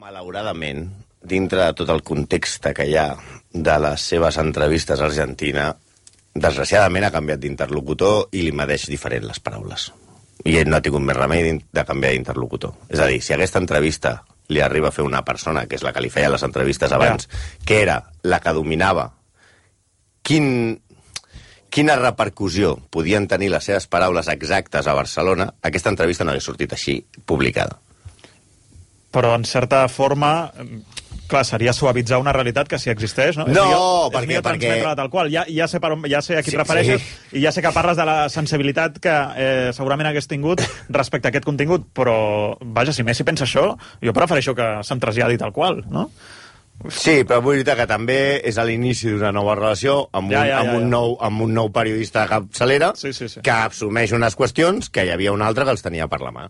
malauradament, dintre de tot el context que hi ha de les seves entrevistes a Argentina, desgraciadament ha canviat d'interlocutor i li medeix diferent les paraules. I ell no ha tingut més remei de canviar d'interlocutor. És a dir, si aquesta entrevista li arriba a fer una persona, que és la que li feia les entrevistes abans, que era la que dominava quina repercussió podien tenir les seves paraules exactes a Barcelona, aquesta entrevista no hauria sortit així, publicada. Però, en certa forma, clar, seria suavitzar una realitat que sí existeix, no? No, perquè... Tal qual. Ja sé a qui et refereixes i ja sé que parles de la sensibilitat que segurament hagués tingut respecte a aquest contingut, però, vaja, si Messi pensa això, jo prefereixo que se'm traslladi tal qual, no? Sí, però vull dir que també és a l'inici d'una nova relació amb un nou periodista de capçalera que assumeix unes qüestions que hi havia un altre que els tenia per la mà.